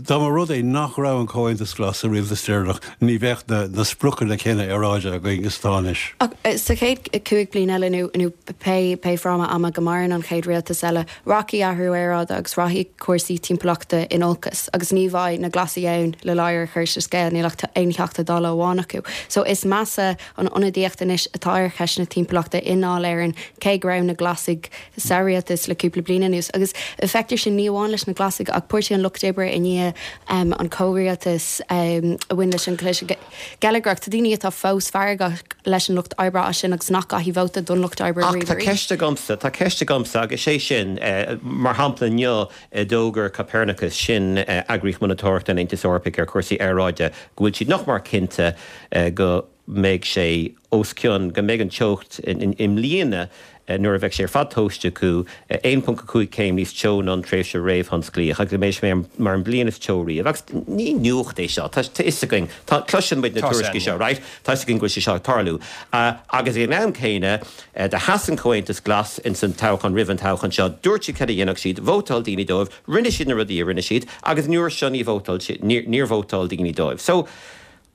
dá mba rud é nach raibh an Comhaontas Glas sa rialtas deireanach, ní bheadh na, na spriocanna céanna aeráide againn is atá anois. Ach sa chéad cúig bliain eile nó nó pé pé fráma ama go maireann an chéad rialtas eile, rachaidh athrú aeráide agus rachaidh cúrsaí timpeallachta in olcas, agus ní bheidh na Glasaigh ann le ladhar a chur sa scéal, níl ach aon Teachta Dála amháin acu. So is measa an ionadaíocht anois atá ar cheist na timpeallachta i nDáil Éireann cé go raibh na Glasaigh sa rialtas le cúpla bliain anuas. Agus feictear sin ní amháin leis na Glasaigh ach Páirtí an Lucht Oibre i ndiaidh um, an comhrialtas um, a bhain leis an gcliseadh geilleagrach. Tá daoine atá fós feargach leis an Lucht Oibre as sin agus nach gcaithfidh vóta don Lucht Oibre Ach tá ceist agamsa, tá ceist agamsa agus sé sin eh, mar shampla inniu eh, d'fhógair Copernicus sin eh, eagraíocht monatóireachta an Aontais Eorpaigh ar chúrsaí aeráide go bhfuil siad nach mar cinnte eh, go mbeidh sé os cionn go mbeidh an teocht i mbliana eh, nuair a bheidh sé ar fad tomhaiste acu eh, aon ponc a cúig céim níos teo ná an tréimhse réamhthionsclaíoch agus go mbeidh sé mar an bliain is teo riamh. Agus ní nuacht é seo, tá fhios againn, tá cloiseann muid na tuairiscí seo, right? Tá fhios againn go bhfuil sé seo ag tarlú. Uh, agus ag an am céanna uh, do sheas an Comhaontas Glas in san toghchán roimh an toghchán seo, dúirt siad cad a dhéanfadh siad, vótáil daoine dóibh, rinne siad na rudaí a rinne siad, agus an uair seo ní vótáil níor vótáil daoine dóibh. So,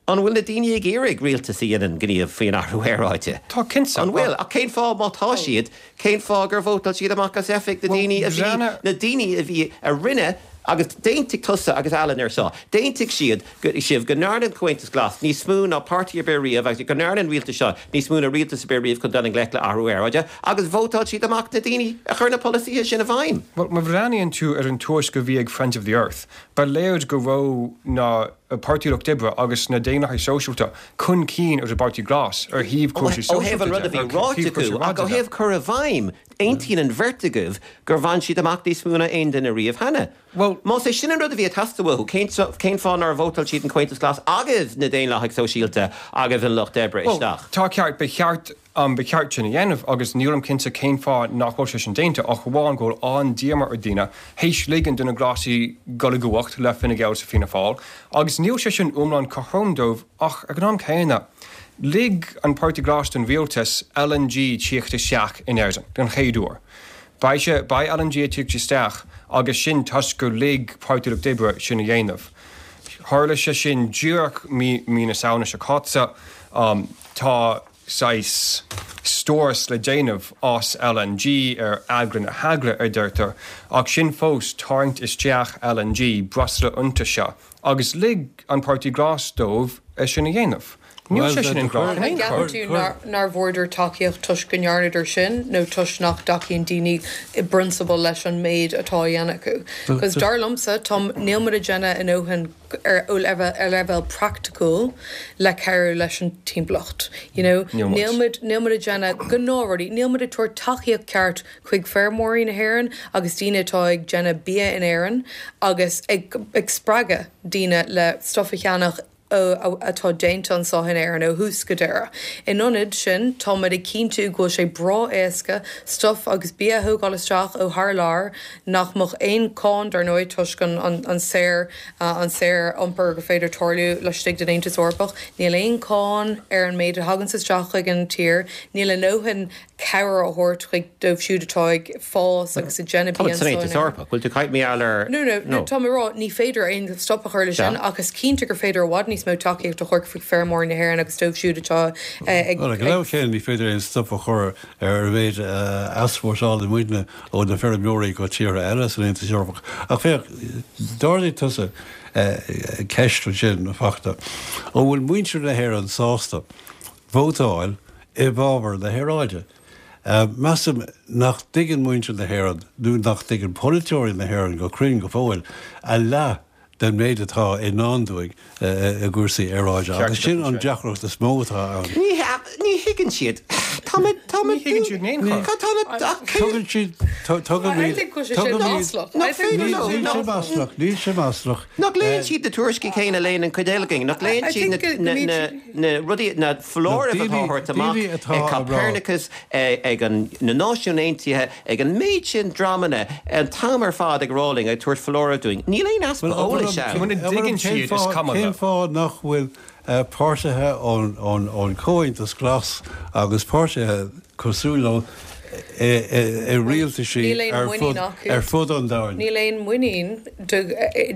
An bhfuil na daoine ag iarraidh rialtas a dhéanann gníomh faoin athrú aeráide? Tá cinnte. An bhfuil ach cén fáth má tá siad, cén fáth gur vótáil siad amach as oifig na daoine a bhí na daoine a bhí a rinne agus d'aontaigh tusa agus Alan ar seo. D'aontaigh siad sibh go ndearna an Comhaontas Glas níos mó ná páirtí ar bith riamh agus go ndearna an rialtas seo níos mó ná rialtas ar bith riamh chun dul i ngleic le athrú aeráide agus vótáil siad amach na daoine a chuir na polasaithe sin i bhfeidhm. Well, má bhreathnaíonn tú ar an tuairisc a bhí ag Friends of the Earth, ba léir go raibh na Páirtí Lucht Oibre agus na Daonlathaigh Sóisialta chun cinn ar an bPáirtí Glas ar thaobh cúrsaí Ó thaobh an rud a bhí ráite acu ach ó thaobh cur i bhfeidhm, aontaíonn an bheirt agaibh gur bhain siad amach níos mó ná aon duine riamh cheana. Well, Más é sin an rud a bhí ag teastáil uathu, cén cén fáth nár vótáil siad an Comhaontas Glas agus na Daonlathaigh Sóisialta agus an Lucht Oibre Well, isteach? tá ceart ba cheart um, ba cheart sin a dhéanamh agus nílim cinnte cén fáth nach bhfuil sé sin déanta ach amháin go bhfuil an-díomá ar daoine théis ligean do na Glasaigh dul i gcumhacht le Fine Gael sa Fianna Fáil agus níl sé sin iomlán cothrom dóibh ach ag an am céanna. Lig an Páirtí Glas don rialtas L N G tíocht isteach in Éirinn den chéad uair. Beidh sé beidh L N G tíocht isteach agus sin toisc gur lig Páirtí Lucht Oibre sin a dhéanamh. Tharla sé sin díreach mí mí na Samhna seo caite um, tá saghas stóras le déanamh as L N G ar eagla na heagla a deirtear, ach sin fós tarraingt isteach L N G breosla iontaise, agus lig an Páirtí Glas dóibh é sin a dhéanamh. Níl Well, sé sin the- an grá the- in aon chor. Ceapann tú nár nár bhfuaireadar tacaíocht toisc go ndearnadar sin nó toisc nach dtacaíonn daoine i bprionsabal leis an méid atá á dhéanamh acu. Cos dar liomsa tá níl muid ag déanamh a ndóthain ar ó leibhéal ar leibhéal praiticiúil le cabhrú leis an timpeallacht. You know, Níl muid. níl muid níl muid ag déanamh gnáthrudí, níl muid ag tabhairt tacaíocht ceart chuig feirmeoirí na hÉireann agus daoine atá ag déanamh bia in Éirinn agus ag, ag spreagadh daoine le stuff a cheannach atá déanta anseo in Éirinn ó thús go deireadh. In ionad sin táimid ag cinntiú go bhfuil sé breá éasca stuff agus bia a thógáil isteach ó thar lear nach mbeadh aon cháin dar ndóigh toisc an, an, an saor uh, an saor iompar gur féidir tarlú laistigh den Aontas Eorpach, Níl aon cháin ar an méid a thagann isteach chuig an tír, níl a ndóthain cabhair a thabhairt chuig dóibh siúd atá ag fás agus ag déanamh Tá san Aontas Eorpach, bhfuil tú caiit mé ar No, no, no, tá mé rá ní féidir aon stop a chur le sin Sea. agus cinnte gur féidir i bhfad níos mó tacaíocht a chur chuig feirmeoirí na hÉireann agus dóibh siúd atá eh, ag Well, ag le chéile ní féidir aon stop a chur ar a mhéid easpórtálann muidne ó na feirmeoirí go tíortha eile san Aontas Eorpach. Ach féach d'ardaigh tusa ceist sin fachta. Ó bhfuil muintir na hÉireann sásta vótáil i bhfabhar na haeráide. Uh, Measaim nach dtuigeann muintir na hÉireann nó nach dtuigeann polaiteoirí na hÉireann go cruinn go fóill a leath den méid atá i ndán dúinn i gcúrsaí aeráide. Agus sin an deacracht is mó atá ann. Ní ní thuigeann siad. Tá tá Ní thuigeann siad in aon chor. Tugann siad tugann I think go sé sin maslach. I think Níl sé maslach, níl sé maslach. Nach léann siad na tuairiscí céanna a léann an chuid eile againn, nach léann I siad think go- go mbíonn na rudaí na foláirimh atá thart amach daoine atá ag á rá. Copernicus ag an na Náisiúin Aontaithe ag an méid sin dreamanna an t-am ar fad ag rolling ag tabhairt foláireamh dúinn. Níl aon easpa eolais ann. Muna dtuigeann siad is cuma Cén leo. fáth nach bhfuil páirtithe ón ón Chomhaontas Glas agus páirtithe cosúil leo i rialtaisí ar fud an domhain. Níl aon muinín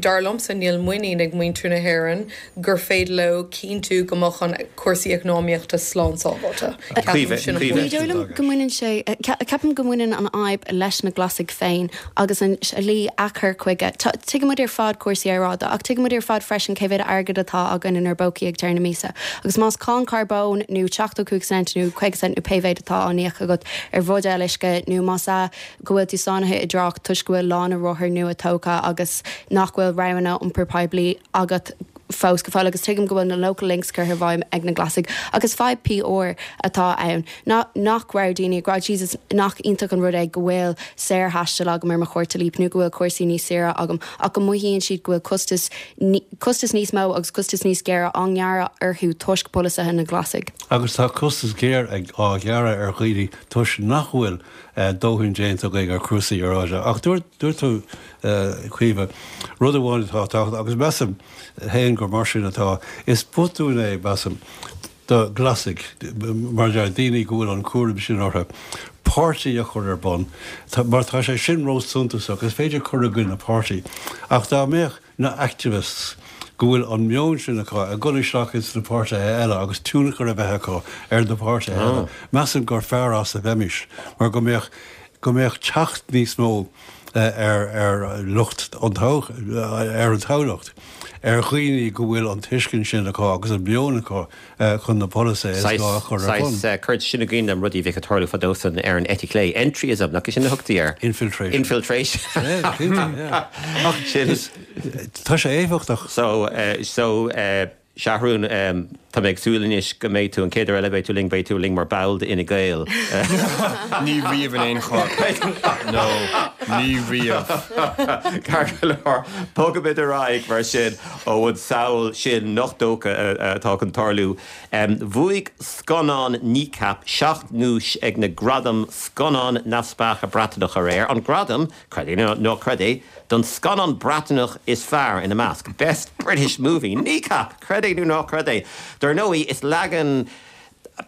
dar liomsa níl muinín ag muintir na hÉireann gur féidir leo cinntiú go mbeadh an cúrsaí eacnamaíochta slán sábháilte. Ní dóigh liom go mbaineann sé ceapaim go mbaineann an fhadhb leis na Glasaigh féin agus an slí a chur chuige. Tuigimid ar fad cúrsaí aeráide ach tuigimid ar fad freisin cé mhéad airgead atá againn inár bpócaí ag deireadh na míosa. Agus más cáin carbóin nó seachtó cúig cent nó caoga cent nó pé mhéad atá á n-íoc agat ar bhuidéal uisce nó más ea go bhfuil tú sáinnithe i dtrácht toisc go bhfuil lána rothar nua tógtha agus nach bhfuil roghanna iompar poiblí agat fós go fóill agus tuigim go bhfuil na local links curtha i bhfeidhm ag na Glasaigh agus fadhb PR atá ann ná nach raibh daoine ag rá Jesus nach iontach an rud é go bhfuil saorthaisteal agam ar mo chárta Leap nó go bhfuil cúrsaí níos saoire agam ach go mothaíonn siad go bhfuil costas costas níos mó agus costas níos géire á ngearradh orthu toisc polasaithe na Glasaigh. Agus tá costas géar ag á ghearradh ar dhaoine toisc nach bhfuil dóthain déanta againn ar chúrsaí aeráide. Ach dúirt dúirt tú Caoimhe rud amháin atá tábhachtach agus measaim féin gur mar sin atá is botún é measaim do Ghlasaigh mar deir daoine go bhfuil an cúram sin orthu. Páirtí a chur ar bun mar tá sé sin róshuntasach is féidir cur i gcoinne páirtí ach dá mbeadh na activists go bhfuil an meon sin acu ag dul isteach ins na páirtithe eile agus tionchar a bheith acu ar na páirtithe eile. Measaim gur fearr as a bheimis mar go mbeadh go mbeadh teacht níos mó ar ar lucht an ar an toghlach ar dhaoine go bhfuil an tuiscint sin acu agus an meon acu chun na polasaithe is gá a chur ar bun. Cuireann sin i gcuimhne dom rudaí a bhíodh ag tarlú fadó san ar an eite chlé. Entryism, nach é sin a thugtaí air? Infiltration. Infiltration. Ach tá sé éifeachtach. So, so Seathrún, tá mé ag súil anois go mbeidh tú an chéad uair eile beidh tú linn, beidh tú linn mar ball d'Fhine Gael. Ní riamh in aon chor. No, ní riamh. Ceart go leor, bogfaimid ar aghaidh mar sin ó an samhail sin nach dócha atá chun tarlú. Bhuaigh scannán Kneecap seacht nduais ag na Gradaim Scannán Neamhspleácha Breatnach aréir. An gradam, creid é nó ná creid é, don scannán Breatnach is fearr ina measc, Best British Movie, Kneecap! Creid é nó ná creid é. Dar ndóigh, is leagan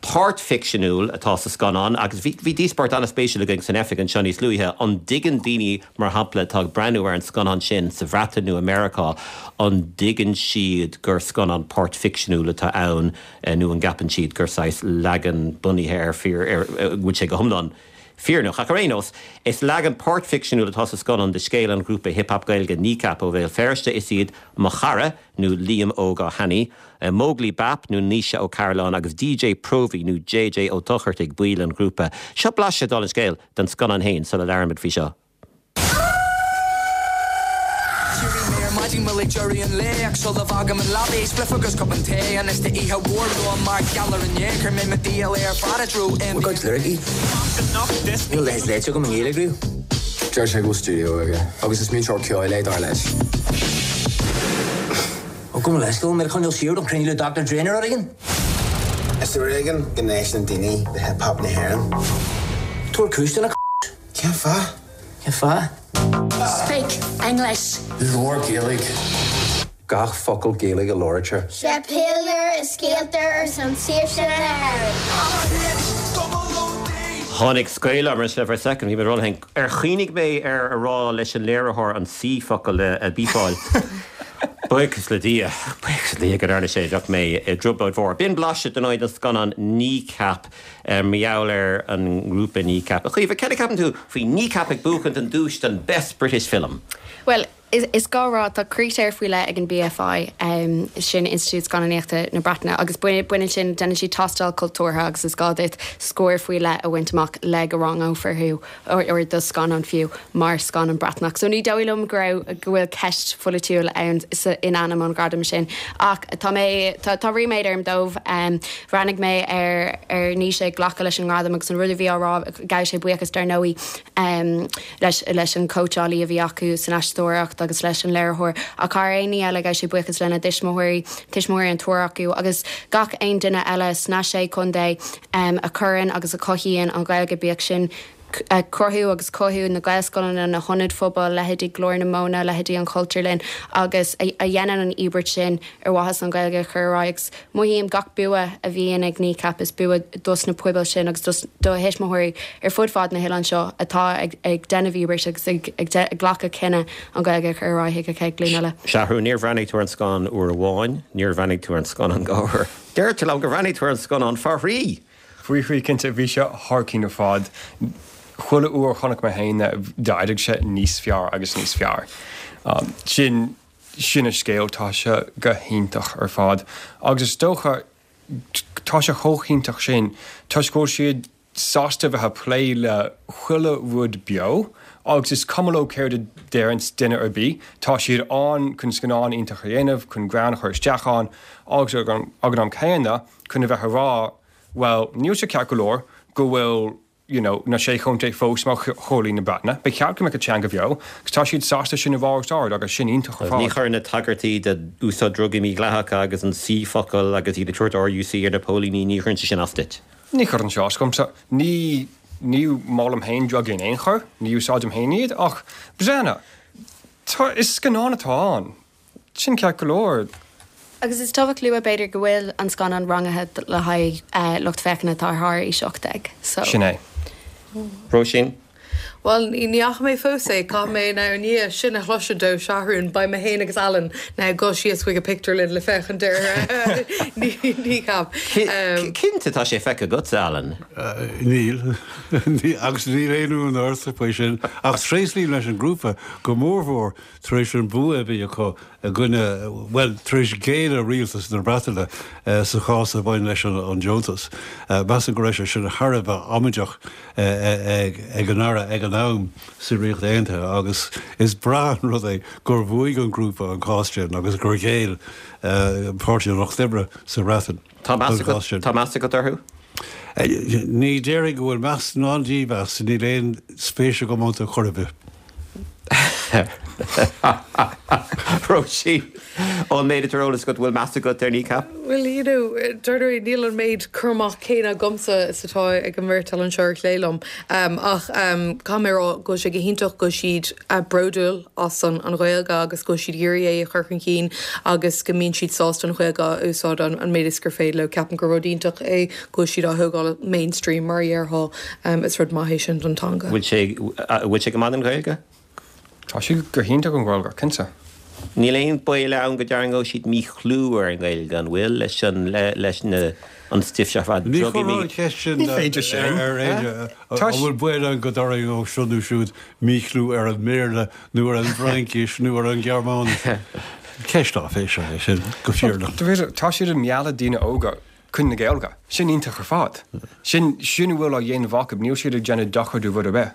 páirtfhicseanúil atá sa scannán agus bhí bhí díospóireacht an-spéisiúil againn san oifig anseo níos luaithe, an dtuigeann daoine, mar shampla, atá ag breathnú ar an scannán sin sa Bhreatain nó i Meiriceá, an dtuigeann siad gur scannán páirtfhicseanúil atá ann nó an gceapann siad gur saghas leagan bunaithe ar fíor, ar, go bhfuil sé go hiomlán fírinneach. Ach ar aon nós, is leagan páirtfhicseanúil atá sa scannán de scéal an ghrúpa hip hop Gaeilge Kneecap ó Bhéal Feirste. Is iad Mo Chara, nó Liam Óg Ó hAnnaidh, Móglaí Bap, nó Naoise Ó Cairealláin, agus DJ Próvaí, nó JJ Ó Dochartaigh, baill an ghrúpa. Seo blaiseadh, dála an scéil, den scannán féin sula labhraímid faoi seo. D'éirigh mé ar maidin mo léig deireadh an lae ach sula bhfágaim an leaba spliff agus cupán tae anois tá oíche mhór romham mar gheall ar inné chuir mé mo dhícheall ar fad i dtreo Bhfuil cuid liricí? Níl a leithéid léite agam i nGaeilge riamh. Deir sé go bhfuil stiúideo aige agus is múinteoir ceoil é dar leis. Ó gabh mo leithscéal, mé ag coinneáil siar don chruinniú le Doctor Dre nó rud éigin? Is ar éigean go n-éisteann daoine le hip hop na hÉireann. Tabhair cúis do na Cén fáth? Cén fáth? Speak English. Labhair Gaeilge. Gach focal Gaeilge a labhraítear. Sé pílear is scéalta ar son saoirse na hÉireann. Tháinig scaoll orm for a second, bhí mé ró Ar chuimhnigh mé ar a rá leis an léiritheoir an C focal a bípeáil. Buíochas le Dia, buíochas le Dia go ndearna sé bheadh mé i dtrioblóid mhór. B'in blaiseadh den oid an scannán Kneecap mar gheall ar an ngrúpa Kneecap. A Chaoimhe, céard a cheapann tú faoi Kneecap ag buachaint an duais don Best British Film? Well, is, is gá rá tá critéir faoi leith ag an BFI um, sin Institiúid Scannánaíochta na Breataine agus baineann sin déanann siad tástáil cultúrtha agus is gá duit scór faoi leith a bhaint amach le go rangófar thú or do scannán fiú mar scannán Breatnach. So ní dóigh liom go raibh go bhfuil ceist pholaitiúil ann in ainm an ghradam sin ach tá mé tá, tá ríméad orm dóibh um, bhreathnaigh mé ar ar Naoise ag glacadh leis an ngradam agus an rud a bhí á rá ghabh sé buíochas dar ndóigh um, leis, leis an cóitseálaí a bhí acu san aisteoireacht agus leis an léiritheoir ach thar aon ní eile ghabh sé buíochas lena dtuismitheoirí tuismitheoirí an triúr acu agus gach aon duine eile sna sé chontae um, a chuireann agus a chothaíonn an Ghaeilge bíodh sin cruthú agus cothú na Gaelscoileanna, na hionaid phobail, leithéidí Glór na Móna, leithéidí an Chultúrlann agus a dhéanann an íobairt sin ar mhaithe an Ghaeilge a chur ar aghaidh agus mothaím gach bua a bhíonn ag Kneecap is bua dos na pobail sin agus dos do thuismitheoirí ar fud fad na hoileáin seo atá ag ag déanamh íobairt agus ag ag glacadh cinneadh an Ghaeilge a chur ar aghaidh ag an chéad ghlúin eile. Seathrún, níor bhreathnaigh tú ar an scannán uair amháin, níor bhreathnaigh tú ar an scannán dhá uair. Deir tú liom gur bhreathnaigh tú ar an scannán faoi thrí! Faoi thrí cinnte, bhí sé thar cionn ar fad. Chuile uair a chonaic mé féin é, d'éirigh sé níos fearr agus níos fearr. Sin, sin an scéal, tá sé go hiontach ar fad. Agus is dócha, tá sé chomh hiontach sin toisc go bhfuil siad sásta bheith ag plé le chuile rud beo agus is cuma leo céard a deireann duine ar bith, tá siad ann chun scannán iontach a dhéanamh, chun greann a chur isteach ann agus ag an am céanna chun a bheith ag rá bhuel, níl sé ceart go leor go bhfuil you know, na Sé Chontae fós mar chomhairlí na Breataine. Ba cheart go mbeadh an teanga bheo agus tá siad sásta sin a rá os ard agus sin iontach ar Ní fad. chuireann na tagairtí d'úsáid drugaí mídhleathacha agus an C focal agus iad ag tabhairt R U C ar na póilíní, ní chuireann sé sin as duit. Ní chuireann sé as domsa. Ní ní molaim féin drugaí in aon chor, ní úsáidim féin iad, ach breathnaigh, tá is scannán atá ann. Sin ceart go leor. Agus is tábhachtach a lua b'fhéidir go bhfuil an scannán rangaithe le haghaidh lucht féachana atá thar aois ocht déag. So. Sin é. Róisín? Bhuel, ní fhaca mé fós é, caithfidh mé now i ndiaidh sin a chloisint ó Sheathrún, beidh mé féin agus Alan now ag dul síos chuig an pictiúrlann le féachaint ar Kneecap. Cinnte tá sé feicthe agatsa, Alan. Níl, agus níl aon rún ortsa faoi sin, ach tréaslaím leis an grúpa go mórmhór tar éis an bua a bhí acu i gcoinne, bhuel, tar éis géilleadh rialtas na Breataine sa chás a bhain leis an deontas. Measaim go raibh sé sin thar a bheith amaideach ag an Aire ag an am sa Ríocht Aontaithe agus is breá an rud é gur bhuaigh an grúpa an cás sin agus gur ghéill Páirtí an Lucht Oibre sa Bhreatain. Tá meas agat orthu? Ní déarfainn go bhfuil meas ná dímheas, níl aon spéis agam iontu chor ar bith. Róisín, ón méid atá ar eolas agat bhfuil meas agat ar Kneecap? Well, you know, dar níl an méid cur amach céanna agamsa is atá ag an mbeirt anseo ar chlé liom. Um, ach um, caithfidh mé rá go sé go hiontach go siad uh, bródúil as an an Ghaeilge agus go siad iarraidh é a chur chun cinn agus go mbíonn siad sásta an Ghaeilge a úsáid an, an méid is gur féidir leo ceapaim gur rud iontach é go siad á thógáil mainstream mar dhéarfá um, is rud maith é sin don teanga. Bhfuil sé bhfuil sé go maith an Ghaeilge? Tá sé go hiontach an Ghaeilge, cinnte. Níl aon baol ann go dtarraingeodh siad míchlú ar an Ghaeilge an bhfuil leis an leis na an stuif seo fad Ní chuir ceist sin Ní féidir sin. ar éide an bhfuil baol ann go dtarraingeodh seo nó siúd míchlú ar an mBéarla nó ar an bhFraincis nó ar an Ghearmáinis. Ceist áiféiseach é sin go fírinneach. Tá siad ag mealladh daoine óga chun na Gaeilge. Sin iontach ar fad. Sin sin a bhfuil á dhéanamh acu, níl siad ag déanamh dochar do rud ar bith.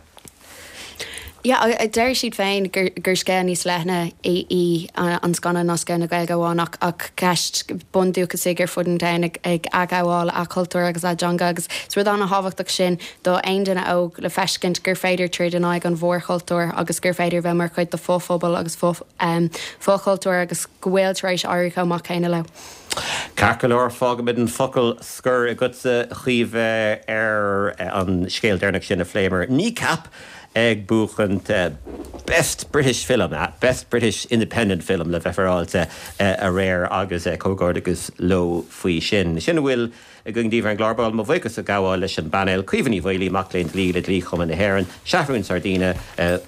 Ja, deir siad féin gur, gur scéal níos leithne í, í an scannán ná scéal na Gaeilge amháin ach ach ceist bundúchasaigh ar fud an domhain ag, ag athghabháil a cultúr agus a dteanga agus is rud an-thábhachtach sin do aon duine óg le feiscint gur féidir troid in aghaidh an mhórchultúr agus gur féidir bheith mar chuid de fhophobal agus fo, um, fochultúr agus go bhfuil tar éis éirí chomh maith céanna leo. Ceart go leor fágfaimid an focal scoir agatsa Chaoimhe ar an scéal deireanach sin a phléamar Kneecap ag buachaint uh, Best British Film, uh, Best British Independent Film le bheith féaráilte uh, aréir agus uh, comhghairdeas leo faoi sin. Sin a bhfuil againn daoibh ar an gclár ba mo bhuíochas a ghabháil leis an bpainéal Caoimhe Ní Mhaolaí mac léinn dlí le Dlí-Chumann na hÉireann, Seathrún Sardina,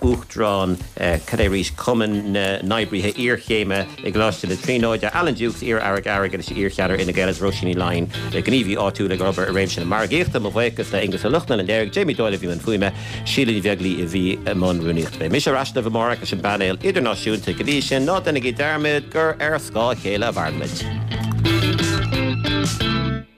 Uachtarán cad é arís Cumann na nOibrithe Iarchéime i gColáiste na Tríonóide, Alan Dukes iar-aire airgeadais iarcheannaire Fhine Gael Róisín Ní Laighin le gníomhaí áitiúil ag obair i réimse na margaíochta mo bhuíochas le Aengus Ó Lochlainn an léiriú, Jamie Doyle a bhí i mbun fuaime, Síle Ní Bheaglaoí a bhí i mbun rúnaíochta. Beidh mise ar ais libh amárach leis an bpainéal idirnáisiúnta go dtí sin ná déanaigí dearmad gur ar scáth a chéile a mhairimid.